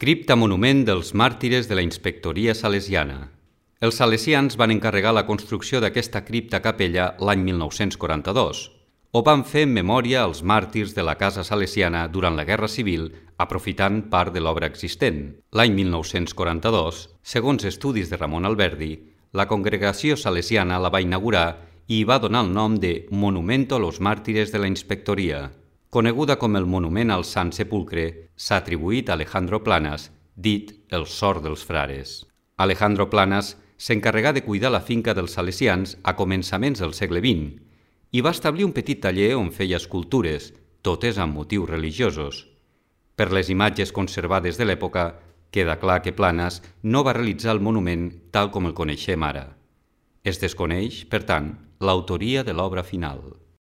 Cripta monument dels màrtires de la inspectoria salesiana. Els salesians van encarregar la construcció d'aquesta cripta capella l'any 1942. Ho van fer en memòria als màrtirs de la casa salesiana durant la Guerra Civil, aprofitant part de l'obra existent. L'any 1942, segons estudis de Ramon Alberdi, la congregació salesiana la va inaugurar i hi va donar el nom de Monumento a los Mártires de la Inspectoria. Coneguda com el Monument al Sant Sepulcre, s'ha atribuït a Alejandro Planas, dit el sort dels frares. Alejandro Planas s'encarregà de cuidar la finca dels salesians a començaments del segle XX i va establir un petit taller on feia escultures, totes amb motius religiosos. Per les imatges conservades de l'època, queda clar que Planas no va realitzar el monument tal com el coneixem ara. Es desconeix, per tant, l'autoria de l'obra final.